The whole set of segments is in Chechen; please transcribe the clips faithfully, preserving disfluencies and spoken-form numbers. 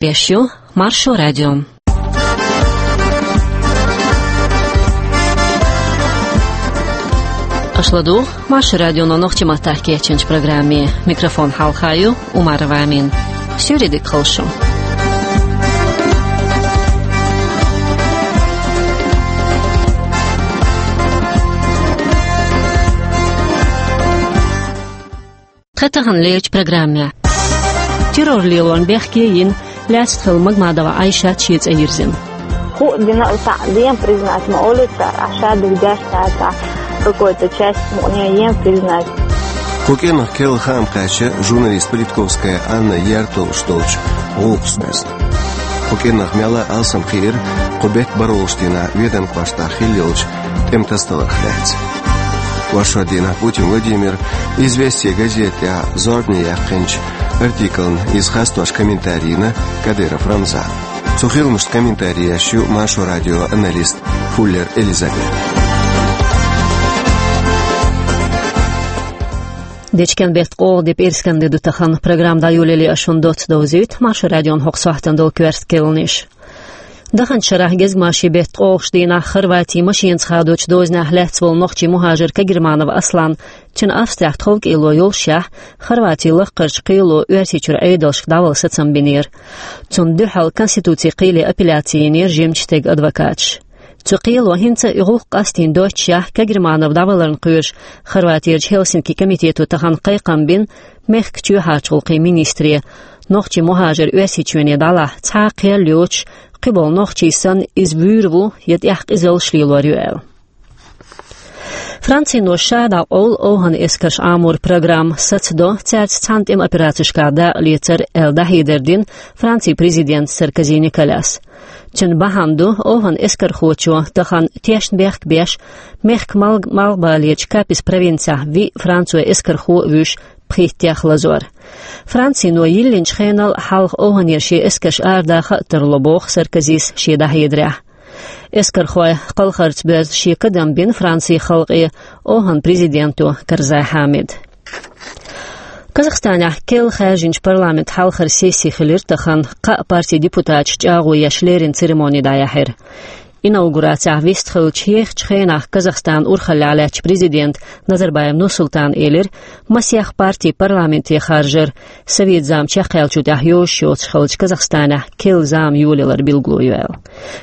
Маршо радио. Аша ладугӀу Маршо радионо нохчийн маттахь кечйинчу программе. Микрофон хьалха ю Умарова Амина. Суьйре дика хуьлда шун. Тхан таханлерчу программехь. Террор лелорна бехке йина, лаьцна хилла Магмадова Айшат шен цӀе йирзина. ХӀуъа дина а, цхьаъ ден признать ма олуьйту цара, ахь ша дерг деш дацахь, какой-то часть мукъане ен признать. Кху кӀирнах керла хаам кхаьчна журналист Политковская Анна яьрталуш долчу гӀуллакхашца. Кху кӀирнах мелла а алсам кхиира кху беттан бархӀалгӀачу дийнахь Веданан кӀоштахь хилла йолчу тӀеман тасадаларх лаьцна. Оршот дийнахь Путин Владимира «Известия» газета тӀехь зорбане яьккхинчу артиклна иза хастош комментари йина Кадыров Рамзана. Цу хиламашца комментари еш ю Маршо радион аналист Фуллер Элизабет. Дечкен беттан ткъолгӀа де, пӀераскан де ду тахана. Программа дӀайолале ас шуна доцца довзуьйту Маршо радион хӀокху сохьтана долу коьрта керланаш. Даханчу шарахь гезгмашин беттан ткъолгӀачу дийнахь Хорватин машенаца хадочу дозанехь лаьцна волу нохчи мухӀажар Кагерманов Аслан, цуьнан Австрехь тховкӀело йолушшехь, Хорватин лакхарчу кхело Оьрсийчуьра Ӏедалшка дӀавала сацам бинера. Цунна дуьхьал Конституцин кхеле апелляци йинера жимачу стеган адвокаташа. Цу кхело хӀинца а и гӀуллакх къастийна доццушехь, Кагерманов дӀаваларна кхоьруш Хорватерчу Хельсинки комитето тахана кхайкхам бина мехкан чоьхьарчу гӀуллакхийн министре, нохчи мухӀажар Оьрсийчоьне дӀалахь, цхьа а кхел йоцуш, кхиболу нохчий санна, иза вуьйр ву я тӀехь къизаллаш лелор ю аьлла. Францино ша дӀакъовлу ОвхӀан эскарш Ӏаморан программа, сацадо цаьрца цхьаьна тӀеман операцешкахь дакъа лецар аьлла, дӀахьедар дина Францин президента Саркози Николяса. Цуьнан бахьана ду, ОвхӀан эскархочо тахана тешнабехк беш, мехкан малх-, малхбалерчу Капис провинцехь виъ францойн эскархо а вуьйш, пхийттех лазор. Францино йиллинчу хенал хьалха ОвхӀанера шен эскарш арадаха а тарло, боху Саркозис шен дӀахьедарехь. Эскархойн кхалхарца боьзна шен кадам бина Францин халкъе ОвхӀан президенто Карзай Хьамида. Казахстанехь керла хаьржинчу парламентан хьалхара сесси хилира тахана. Кхаа партин депутаташ чӀагӀо еш леррина церемони дӀаяьхьира. Инаугурацехь вистхиллачу ехачу хенахь Казахстан урхаллехь лаьттачу президента Назарбаев Нурсултана элира, масех парти парламенте харжар совет зама чекхъяьллачул тӀаьхьа йозуш йоцуш хиллачу Казахстанехь керла зама йолаялар билгало ю аьлла.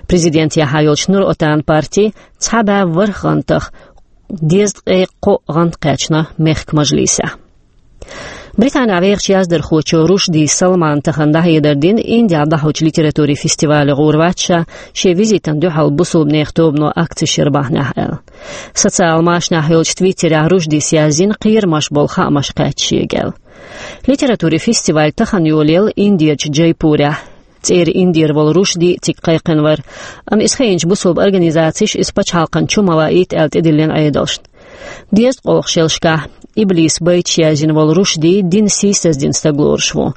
Президентехьа йолчу Нур-Отан парти цхьа бӀе ворхӀ гӀантах дезткъе кхоъ гӀант кхаьчна мехкан мажлисехь. Британехь вехачу яздархочо Рушди Салмана тахана дӀахьедар дина Индехь дӀахьочу литературин фестивале гӀур вац ша, шен визитана дуьхьал бусулба нехан тобано акцеш яр бахьанехь аьлла. Социал машанехь йолчу Твиттерехь Рушдис яздина кхерамаш болу хаамаш кхаьчна шега аьлла. Литературин фестиваль тахана йолаелла Индерчу Джайпурехь. ЦӀера Индера волу Рушди цига кхайкхина вара, амма иза хиъначу бусулба организацеша иза пачхьалкхан чу ма ваийта аьлла тӀедиллина Ӏедалшна. ДезткъолгӀа шерашкахь иблисан байташ яздина волу Рушди дин сийсаздина стаг лоруш ву.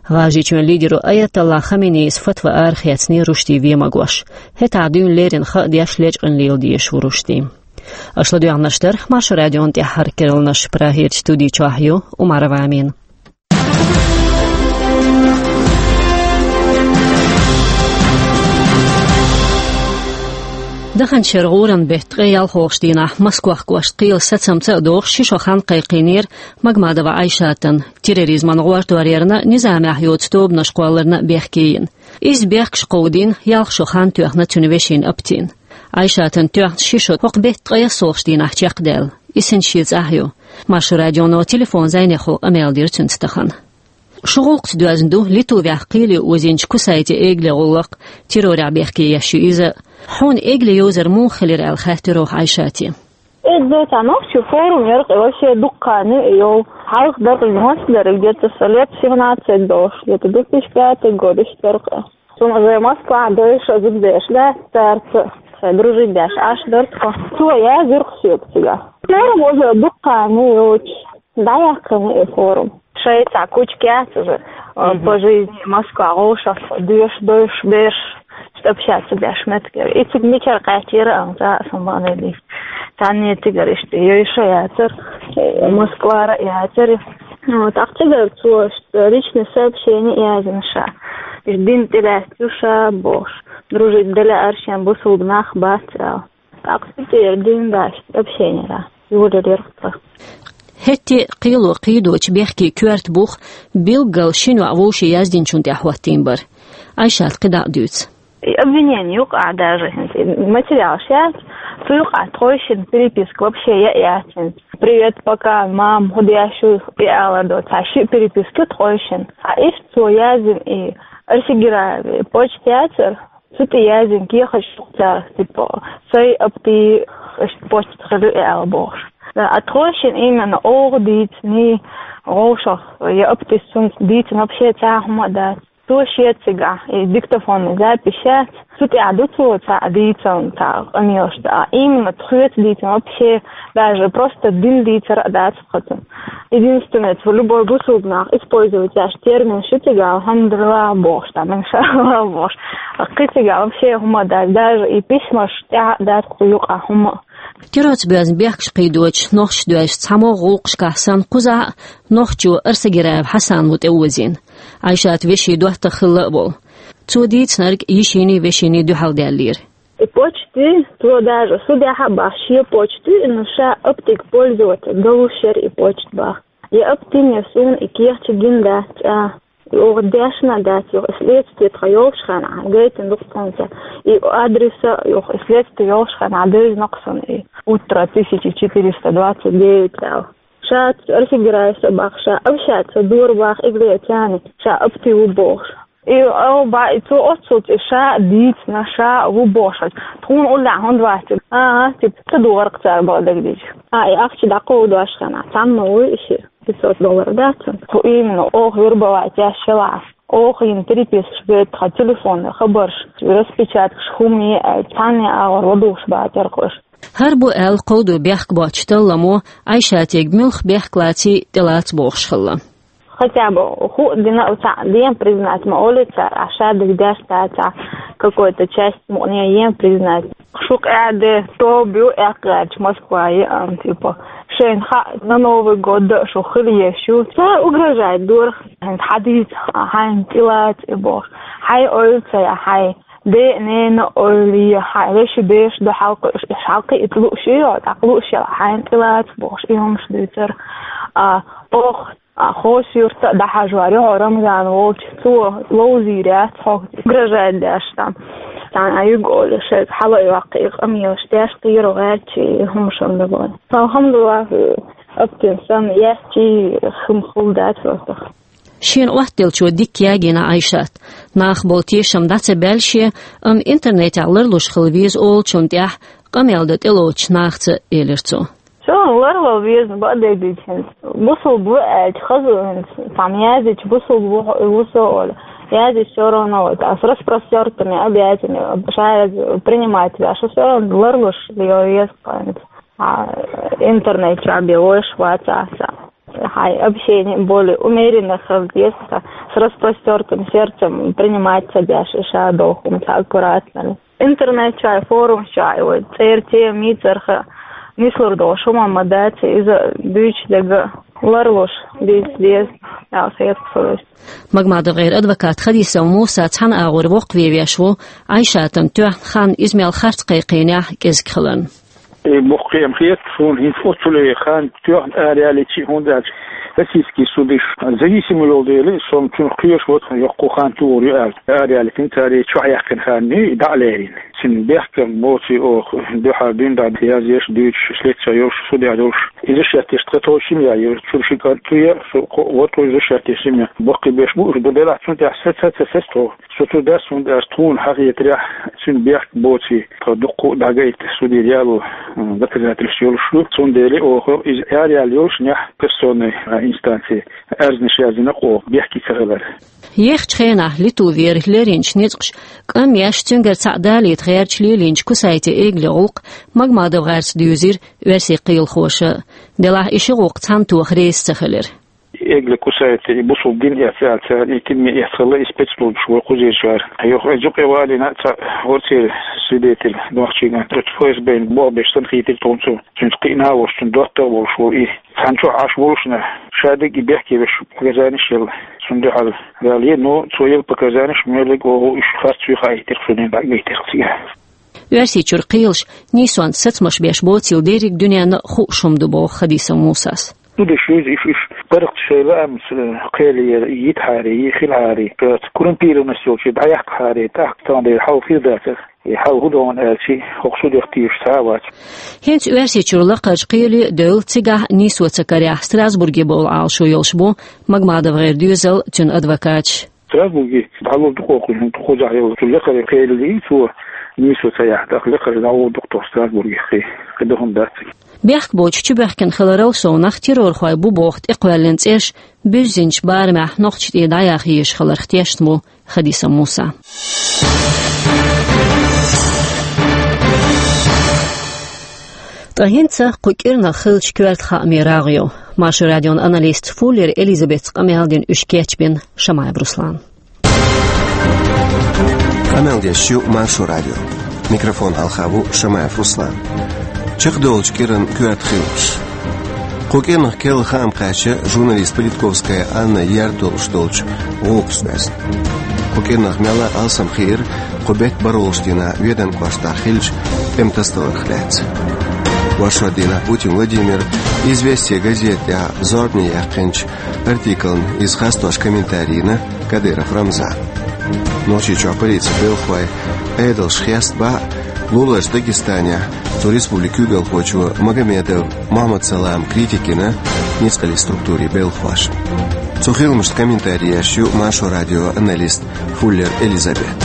ГӀажарийчоьнан лидеро Аятолла Хаменеис фатва арахецнера Рушди вен магош. ХӀетахь дуьйна леррина хаа деш лечкъина лела дезаш ву Рушди. Аша ладоьгӀнарш дара Маршо радион тӀаьххьара керланаш. Прагерчу студи чохь ю Умарова Амина. Даханчу шеран гӀуран беттан ткъе ялхолгӀачу дийнахь Москох кӀоштан кхелан сацамца а догӀуш ши шо хан кхайкхийнера Магмадова Айшатана, терроризмана гӀортор ярна, низамехь йоцу тобанаш кхолларна а бехке йина. Изза бехкаш кховдийна, ялх шо хан тоьхна цуьнан вешина Аптина. Айшатана тоьхна ши шо хӀокху беттан ткъе ялхолгӀачу дийнахь чекхдаьлла. Иза хӀинца шен цӀахь ю. Маршо радионо телефон зӀенехула къамел дира цуьнца тахана. Шу гӀуллакхца доьзна ду Литвехь кхеле озийначу Кусайте Эгле гӀуллакх, террорехь бехке еш ю иза. Хьуна Эгле йовзар муха хилира аьлла хаьттира оха Айшате. Эдда цхьа нохчийн форум яра-кх, и вообще дуккха а йолу. Хьалха дара-кх, моьтту дара, где-то со лет семнадцать долуш, где-то две тысячи пятый год иштта дара-кх. Цунах вай Москвахь дойша зудбеш лаьцна цаьрца, шайн дружить деш Ӏаш дара тхо. Цо яздира-кх соьга цигахь. Форум уже дуккха а йоцуш, дӀаяьккхина и форум. Шайн цхьа кучка яц уже, а, по жизни Москва гӀовшах доьшуш, доьшуш берш, общаться деш меттигера. И цига мичара кхаьчира, а, ца а сан бахьанедий. Цхьанне цигара иштта йойша яцара, э, Москвара а яцара. Вот, ахь цигара цо личный сообщение яздина ша. Дин тӀелаьцна ю ша бохуш, дружить дале аршен бусулба нах бац аьлла. ТӀаккха цу тӀера дин дац общенера, южа лерхӀа. ХӀетте кхело кхийдочу бехке коьрта бух билггал шина йоӀ вовше яздинчун тӀехь хӀоттийна бара. Айшат кхидӀа а дуьйцу. И обвинение юкъахь даже хӀинца и материал шаьлча, цу юкъахь тхойшина переписка вообще яа яц хӀинца. «Привет, пока, мам, хӀун деш ю?» и ала до, цхьа шиъ переписка тхойшина. А иштта цо яздина и Арсигираеви почта яцара, цу тӀе яздина кехаташ ю цара, типа, сай апти почта хили аьлла бохуш. А тхойшина именно оха дийцина вовшах, я аптис цунца дийцина вообще цхьа хӀума а дац. Цо шен цигахь и диктофонный запись яц, цу тӀехь ду цо цхьа дийцина цхьа къамелаш, а именно тхоьца дийцина вообще даже просто дин дийцар а дац тхоьца. Единственное, цо любой бусулба нах использовать еш термин шу цигахь, алхьамдулиллах бохуш, там, иншаллах бохуш. Кхин цигахь вообще хӀума дац, даже и письмаш тӀехь а дац цу юкъахь хӀума. Террорца боьзна бехкаш кхийдочу нохчаша доьзначу цхьамогӀа гӀуллакхашкахь санна кхузахь а нохчо Арсигираев Хьасан ву тӀеозийна. Айшата вешин доттагӀа хилла а волу. Цо дийцинарг йишиний, вешиний дуьхьалдаьллера. И почта, цо даже судехь а бахьа, шен почта, но ша аптиг пользоваться далуш яра и почта бахьа. Я аптине суна и кехат гина дац, а, оха дешна дац, оха и следствие тхан йолуш хенахь, гайтина ду-кх цунца. И адреса, оха и следствие йолуш хенахь, девзина-кх суна и утро тысяча четыреста двадцать девять аьлла. Ша Арсигираевс а бахьа, ша общаться дора бахьа игле царна, ша апти ву бохуш. И оха бахьа, и цо оццул цӀе ша а дийцина, ша а ву бохуш. Тхуна уллехь хӀунда вац? АгӀа, типа, ца догӀарх цара бала дагадича. А, и ахча дӀакховдош хенахь, цхьамма вуй и ши пятьсот доллар дац цунна. Кху именно оха вербовать еш хилахь, оха йина перепискаш гайта, тхан телефонный хабарш, распечаткаш, хӀума е а, цхьанне агӀор ладугӀуш бацара-кх уьш. ХӀара бу аьлла кховдо бехк боцчу талламо Айшатига муьлхха бехк лаций тӀелаца бохуш хилла. Хотя бы хӀуъа дина а цхьаъ ден признать ма олий цара, а ша дагадеш дацахь, какой-то часть мукъане ен признать. Шу къаьхьа де тоба ю эккхарчу Москва еана, типа, шайна хаьа, на Новый год а шу хила еш ю. Цара угрожать дора, хьайна хьадийца, хьайна тӀелаца и бохуш. Хьайн ойла ца яхь, хьайн ден а, ненан а ойла е, хьайн вешин бераш ду хьалкхуьуш, уьш хьалкхиийта лууш ю, тӀаккха лууш яла хьайна тӀелаца бохуш, и хӀумаш дуьйцура. А, оха А, Хоси-Юрта а дӀахьажор ю хьо Рамзан волчу, цо ловзийр яц хьо, угрожать деш там. Царна а юга олу шайга хьала а йоккху и къамелаш деш, кхера гӀертачу и хӀуманаш дан боху. Алхьамдулиллах, аптин санна, яьстчий хӀума хилла дац васах. Шена Ӏоттаделлачо дика ягийна Айшат. Нах болу тешам дӀа ца баьлла шен, амма интернетехь ларлуш хила веза олучунна тӀехь къамел дан тӀелоцучу нахаца элира цо. Цо ларло веза бакъдерг дийцина. Бусулба ву аьлча, хаза ву хӀинца, там яздича бусулба ву, ву со олу. Яздича всё равно, вот, а с распростёртыми объятиями, ша яздича принимать веш, всё равно ларлуш йо веза хӀинца. А интернет чохь бен вайша вацахь, хьайн общение более умеренно хила деза, с распростёртым сердцем принимать ца деш, ша доху, аккуратно. Интернет чохь, форум чохь, и вай цӀера тема йийцарх нислур долуш хӀума ма дац, иза дуьйцуш дерг ларлуш дийца деза, аьлла хета суна. МагмадовгӀеран адвокат Хадисов Муса цхьана агӀор воккхаве веш ву Айшатан тоьхна хан, иза мел харц кхайкхийнехь кӀезиг хиларна. И боккха кхиам хета суна хӀинца оццуле хан тоьхна араяьллачи, хӀунда аьлча российский судаш зависимый йолу дела, со цунах кхоьруш ву, йоккха хан тугӀур ю аьлла. Араяьллачи цара чохь яьккхина хан ю, и дӀа а лерина. Цуьнан бехкам боций оха дуьхьал дуьйна дӀа язъеш, дуьйцуш, следствие йолуш, судья йолуш. Иза шетташ тхан тхо шима яа, иза чуьра ши кӀант ю, я со кхо а ву, тхо иза шетташ шима яа. Баккхий беш бу уьш, ду делахь цунна тӀехь са ца, ца, ца, тхо. Со цу дас хӀунда аьлча тхуна хьан хетарехь, цуьнан бехк боций, тхо дуккха а дӀагайта, судья яло, м, доказательство йолуш ю. Цундела оха иза араяьлла йолушшехь, кассационный, а, инстанци аьрзнаш яздина-кх оха, бехке ца хилар. Ехачу хенахь Литвера леринчу ницкъаша кӀам еш, цуьнгара цхьаъ далийта гӀерташ лелийначу Кусайте Эйгли гӀуллакх МагмадовгӀерца дуьйзира оьрсийн кхелахоша. Делахь и ши гӀуллакх цхьаьна тоха реза ца хилира. И Эгли кусаете и бусул дин эцаца и тимми эцхала и спецслужбаш вой кхузийчар. Йох, э, жукъе валина ца орци свидетель нохчина. Тот ФСБ-н бохбеш сан хитил тонцу. Цунц кхина волш, цун доттагъа волш вол и. Цхьанчо Ӏаш волушна, шадыг и бехке веш показаниш ел. Цун дуьхьал вал е, ну, цо ел показаниш мелиг огу иш харц виха айтир, цунин багмитир цига. Оьрсийчуьра кхелаш нийсонца сацамаш беш боцийла дерриг дуьненна хууш хӀума ду, боху Хадисов Мусас. Ну, деш веза иш, иш паргӀат шайла амца, э, кхелера, йитхьари, йихилхьари, коррумпированность йолчу дӀаяккхахьари, тӀаккха тахана дера хьал хир дацар. И хьал хӀун догӀун аьлчи, хӀокху судех тийша цхьа а вац. ХӀинца Оьрсийчуьра лакхарчу кхеле а девлла, цигахь нийсо ца карехь, Страсбурге бовла Ӏалашо йолуш бу МагмадовгӀеран доьзал, цуьнан адвокаташ. Страсбурге дӀалур ду кху, кху, кхузахь йолу, цу лекхаре кхеле, цо нийсо ца яхь, тӀаккха лекхаре дӀалур ду кху Страсбурге, кхин, кхин ду хӀума дац. Бехк боцуш чубоьхкина хиларал совнах террорхой бу боху тӀекхоьллина цӀераш буьззинчу барамехь нохчашна тӀе дӀаяха езаш хиларх тешна ву Хадисов Муса. Ткъа хӀинца кху кӀирнах хиллачу коьрта хаамийн рагӀ ю. Маршо радион аналист Фуллер Элизабетс къамел дина уьш кечбина Шамаев Руслан. Къамел деш ю Маршо радио. Микрофон хьалха ву Шамаев Руслан. Чекхдолчу кӀиран коьрта хиллаш. Кху кӀирнах керла хаам кхаьчна журналист Политковская Анна яр долуш долчу гӀуллакхаш доьзна. Кху кӀирнах мелла а алсам хиира кху беттан бархӀалгӀачу дийнахь Веданан кӀоштахь хиллачу тӀеман тасадаларх лаьцна. Оршот дийнахь Путин Владимира «Известия» газета тӀехь зорбане яьккхинчу артиклна иза хастош комментарий йина Кадыров Рамзана. Нохчийчохь полицин белхалой Ӏедалш хестабахь а, луларчу Дагестанехь цу республикан куьйгалхочо Магомедов Мухьаммад-Салама критика йина ницкъаллин структурийн белхалошна. Цу хиламашна комментарий еш ю Маршо радион аналист Фуллер Элизабет.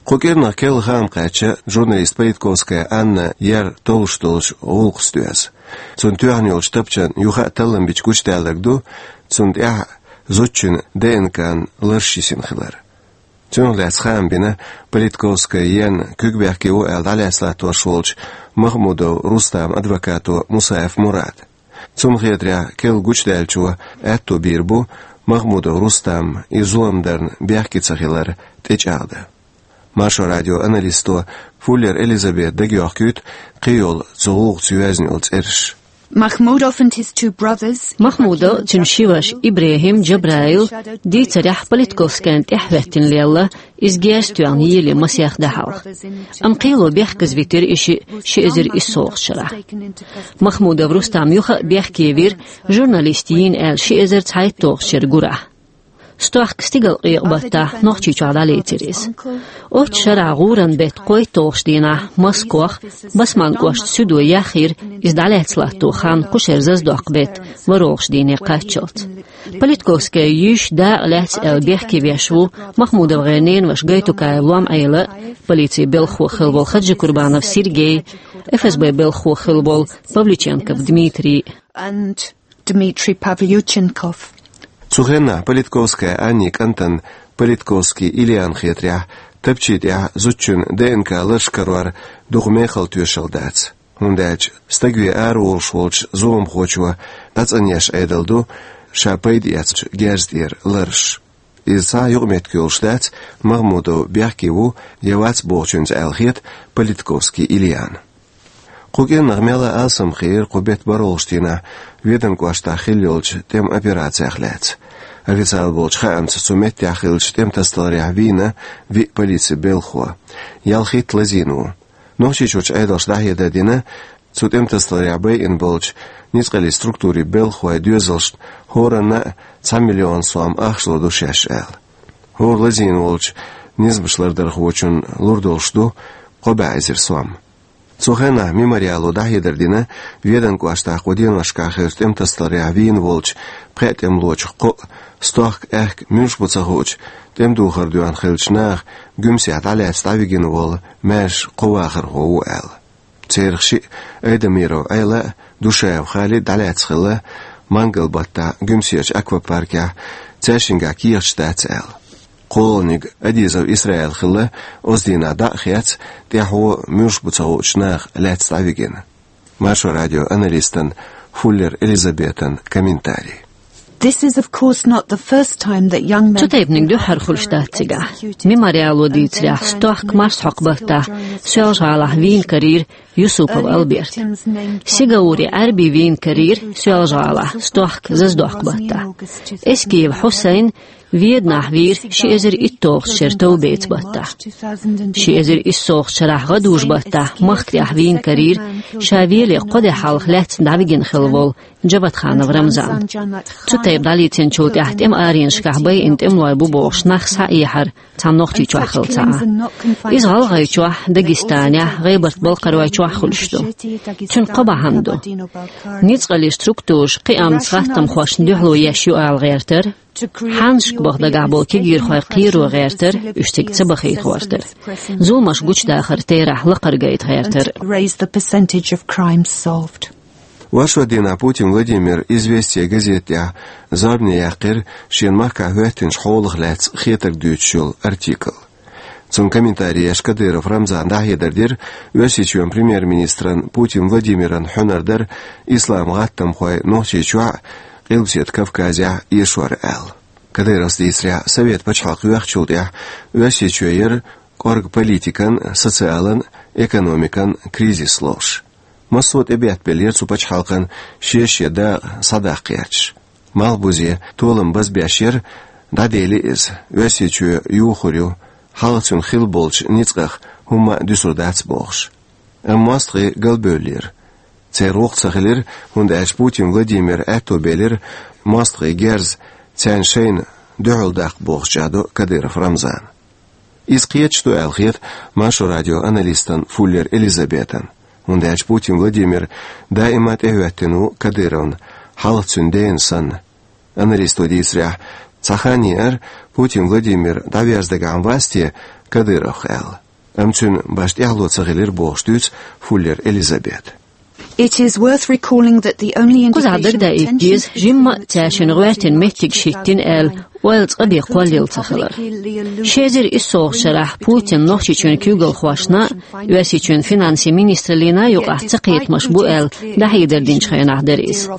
Кху кӀирнах керла хаам кхаьчна журналист Политковская Анна яр толлуш долчу гӀуллакхаш доьзна. Цунна тоьхна йолчу тапчан юха а таллам бича гучудаларг ду цунна тӀехь зудчун ДНК-н ларш йисина хилар. Цунах лаьцна хаам бина Политковская Анна куьг бехке ву аьлла дӀалаьцна латтош волчу Махмудов Рустаман адвокато Мусаев Мурада. Цунна хетарехь, керла гучудаьллачо аьтто бийр бу Махмудов Рустам и зулам дарна бехке ца хилар тӀечӀагӀдан. Маршо радион аналисто Фуллер Элизабета дагайохкуьйту кхин йолу цу гӀуллакхаца йоьзна йолу цӀераш. Махмудов and his two brothers, Махмудов, цуьнан ши ваша ИбрахӀим, Джабраил, дийцарехь Политковскаян тӀаьхьахӀоьттина лелла, иза герз тоьхна йийле масех де хьалха. Амма кхело бехказа витира и шиъ ши эзар иссалгӀачу шарахь. Махмудов Рустам юха а бехке вира, журналист йийна аьлла, ши эзар цхьайтталгӀачу шеран гурахь. Стохка стигалкъекъа баттахь Нохчийчохь дӀалецира иза. Оццу шарахь гӀуран беттан кхойтталгӀачу дийнахь Москох Басманан кӀоштан суьдо яхйира иза дӀалаьцна латто хан кху шеран заздоккху беттан ворхӀалгӀачу дийне кхаччалц. Политковская йиш дакъа лаьцна аьлла бехке веш ву МахмудовгӀеран ненаваша Гайтукаева Лом-Ӏела, полицин белхахо хилла волу Хаджикурбанов Сергей, ФСБ белхахо хилла волу Павлюченков Дмитрий. And Дмитрий Павлюченков. Цу хенахь Политковская Аннин кӀантана Политковский Ильяна хетарехь, тапчийн тӀехь зудчун ДНК ларш карор дукха мехала тоьшалла дац. ХӀунда аьлча стаг вен араволуш волчу зуламхочо ацӀанъеш Ӏедал ду ша пайда эцначу герза тӀера ларш. Иза цхьа а юкъаметтиг йолуш дац, Махмудов бехке ву я вац бохучуьнца аьлла хета Политковский Ильяна. Кху кӀирнах мелла а алсам хиира кху беттан бархӀалгӀачу дийнахь Веданан кӀоштахь хилла йолчу тӀеман операцех лаьцна. Официалан болчу хаамца цу меттехь хиллачу тӀеман тасадаларехь вийна виъ полицин белхахо, ялхитта лазийна ву. Нохчийчуьрчу Ӏедалша дӀахьедар дина, цу тӀеман тасадаларехь байина болчу ницкъаллин структурийн белхахойн доьзалшна хӀоранна а цхьа миллион сом ахча лур ду шаьш аьлла. ХӀора лазийна волчу низамаш лардархочунна лур долуш ду кхо бӀе эзар сом. Цу хенахь Мемориало дӀахьедар дина, Веданан кӀоштахь кху деношкахь хиллачу тӀеман тасадаларехь вийна волчу пхеа тӀемалочух кхоъ, стохка, аьхка муьлш бу ца хуучу, тӀеман духар доьхна хиллачу наха Гуьмсехь дӀалаьцна дӀавигина волу маьрша кхо вахархо ву аьлла. Церах шиъ, Айдамиров Ӏела а, Душаев Халид а дӀалаьцна хилла, мангал баттахь Гуьмсерчу аквапаркехь, цаьршиннехь кехаташ дац аьлла. КхоалгӀаниг Адизов Исраил хилла, оцу дийнахь дӀа а хецна, тӀаьхьо муьлш бу ца хуучу наха лаьцна дӀавигина. Маршо радион аналистан Фуллер Элизабетан комментарий. This is, of course, not the first time that young men... Цу тайпаниг дуьххьара хуьлуш дац цигахь. Мемориало дийцарехь, стохка марсхьокху баттахь Соьлжа-ГӀалахь вийна карийра Юсупов Альберт. Сигаури Ӏаьрби вийна карийра Соьлжа-ГӀалахь, стохка Зазадоккху баттахь. Эскиев Хьусайн Веданахь вийра ши эзар итталгӀачу шеран товбеца баттахь. Ши эзар иссалгӀачу шарахь гӀадужу баттахь махка тӀехь вийна карийра ша веле кхо де хьалха лаьцна дӀавигина хилла волу Джабатханов Рамзан. Цу тайпа дӀалецначул тӀаьхьа тӀеман аренашкахь байина тӀемалой бу бохуш нах схьаэхьара цхьана Нохчийчохь хилла ца Ӏа. Иза ГӀалгӀайчохь, Дагестанехь, ГӀебарта-Балкхаройчохь хуьлуш ду. Цуьнан кхо бахьана ду. Ницкъаллин структураш кхин амца гӀаттамхошна дуьхьало еш ю ала гӀертара, хьаннашка баха дагахь болу кегийрхой кхеро гӀертара, уьш цига ца бахийта гӀортара, зуламаш гучудахар терахь лакхара гайта гӀертара. Raise the percentage of crimes solved. Вайшимма дийнахь Путин Владимира «Известия» газета тӀехь зорбане яьккхира шена махкахь хӀоьттинчу хьолах лаьцна хетарг дуьйцуш йолу артикл. Цунна комментарий еш Кадыров Рамзана дӀахьедар дира, Оьрсийчоьнан премьер-министран Путин Владимиран хьуьнар дара ислам гӀаттамхой Нохчийчохь а, Къилбаседа Кавказехь а эшор аьлла. Кадыровс дийцарехь, Совет пачхьалкх йоьхначул тӀаьхьа Оьрсийчоь яра кӀорга политикан, социалан, экономикан кризис ловш. Массо а тӀебеттабеллера цу пачхьалкхан шен-шен дакъа схьадаккха гӀерташ. Малхбузе толам базбеш яра, дӀадели иза, Оьрсийчоь юхур ю, хьалха цуьнан хилла болчу ницкъах хӀумма а дуьсур дац бохуш. Амма мостагӀий галбевллера. Церан гӀуллакх ца хилира, хӀунда аьлча Путин Владимира аьтто белира мостагӀийн герз царна шайна дуьхьал даккха бохучу а ду Кадыров Рамзана. Иза кхеташ ду аьлла хета Маршо радион аналистана Фуллер Элизабетана, хӀунда аьлча Путин Владимир даима тӀехӀоьттина ву Кадыровна, хьалха цуьнан дена санна. Аналисто дийцарехь, цхьа хан еара Путин Владимир дӀаверза дагахь вац те Кадыровх аьлла. Амма цуьнан башха тӀаьхьало ца хилира бохуш дуьйцу Фуллер Элизабета. It is worth recalling that the only... Кхузахь дагадоуьйту деза, жимма а цаьршинна гӀоьртина меттигаш хӀиттина аьлла, ойла цкъа бен кхоллаелла ца хилар. Ши эзар иссалгӀачу шарахь Путинан Нохчийчоьнан куьйгалхошна а, Оьрсийчоьнан финансийн министраллина а юкъахь цакхетамаш бу аьлла дӀахьедар динчу хенахь дара иза.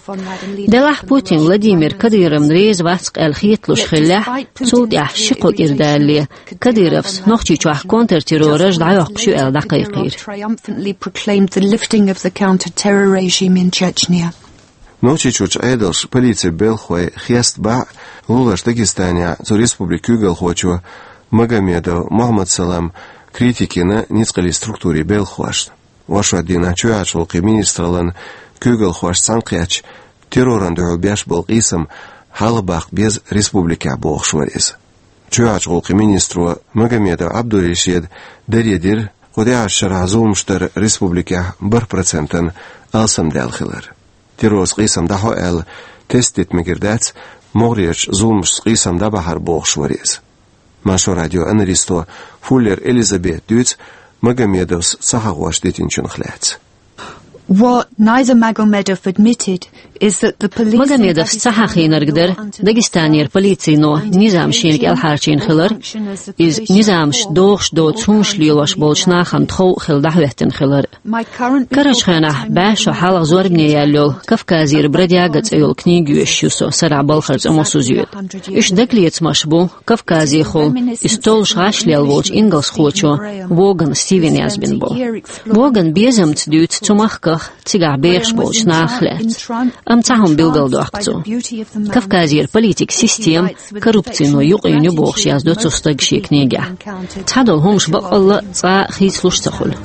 Делахь Путин Владимир Кадыровна реза вац-кх аьлла хеталуш хиллехь, цул тӀаьхьа ши-кхо кӀира далале Кадыровс Нохчийчохь контртеррораш дӀайоккхуш ю аьлла дӀакхайкхийра. Triumphantly proclaimed the lifting of the counter-terror regime in Chechnya. Нохчийчуьрчу Ӏедалша полицин белхахой хеста бахь а, гӀуллакхаш Дагестанехь цу республикан куьйгалхочо Магомедов Мухьаммад-Салам критика йина ницкъаллин структурийн белхахошна. Оршот дийнахь чоьхьарчу гӀуллакхийн министраллан куьйгалхошца цхьаьнакхетча, террорна дуьхьал беш болу къийсам хьалхабаккха беза республикехь бохуш вара иза. Чоьхьарчу гӀуллакхийн министро Магомедов Ӏабдурашида даре дира, кху тӀаьхьарчу шарахь зуламаш дар республикехь бархӀ процентана алсамдаьлла хилар. Террорца къийсам дӀахьо аьлла, тестадита мегар дац, могӀарерчу зуламашца къийсам дӀабахьар бохуш вара иза. Маршо радион аналисто Фуллер Элизабета дуьйцу Магомедовс ца хьахош дитинчунах лаьцна. What neither Magomedov admitted is that the police... Магомедовс ца хьахийнарг дара, Дагестанера полицино низам шена кӀелхьарчийна хилар, иза низамаш дохуш доцу хӀуманаш лелош болчу нахана тхов а хилла дӀахӀоьттина хилар. Карарчу хенахь бӀе шо хьалха зорбане яьлла йолу «Кавказера бродяга» цӀе йолу книга йоьшуш ю со, сарахь балхара цӀа Мосузоьда. Уьш дагалецамаш бу Кавказехула, иза толлуш гӀаш лелла волчу ингалсхочо Воган Стивена язбина болу. Воган безамца дуьйцу цу махках, цигахь бехаш болчу нахах лаьцна. Амма цхьа хӀума билгалдоккху цо. Кавказера политикан система коррупцино юкъийна ю бохуш яздо цу стага шен книгехь. Цхьадолу хӀуманаш баккъалла а цкъа а хийцалуш ца хуьлу.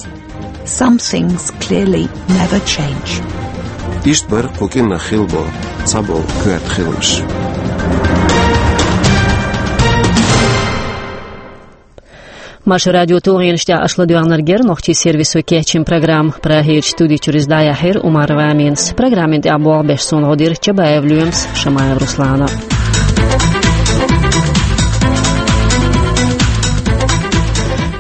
Some things clearly never change. Иштта бара кху кӀирнах хилла болу цхьаболу коьрта хиламаш. Маршо радион тулгӀенаш тӀехь аша ладоьгӀнарг яра нохчийн сервисо кечйина программа. Прагерчу студи чуьра иза дӀаяьхьира Умарова Аминас. Программин тӀехь болх беш суна гӀо дира Чабаев Лоьмас, Шамаев Руслана.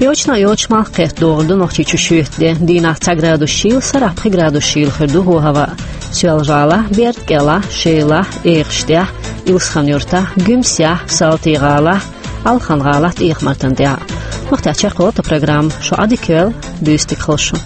Йочана а йоцуш малх кхетта догӀур ду Нохчийчу шоьтан де. Дийнахь цхьа градус шийла, сарахь пхи градус шийла хир ду хӀаваъ. Соьлжа-ГӀалахь, Берда-КӀелахь, Шелахь, Эвкаш-ТӀехь, Илсхан-Юьртахь, Гуьмсехь, Салтий-ГӀалахь, Алхан-ГӀалахь, ТӀехьа-Мартан-ТӀехь. Махкахь чекхйолу тхан программа. Шу Ӏадика йойла, дуьйцу дика хала шу.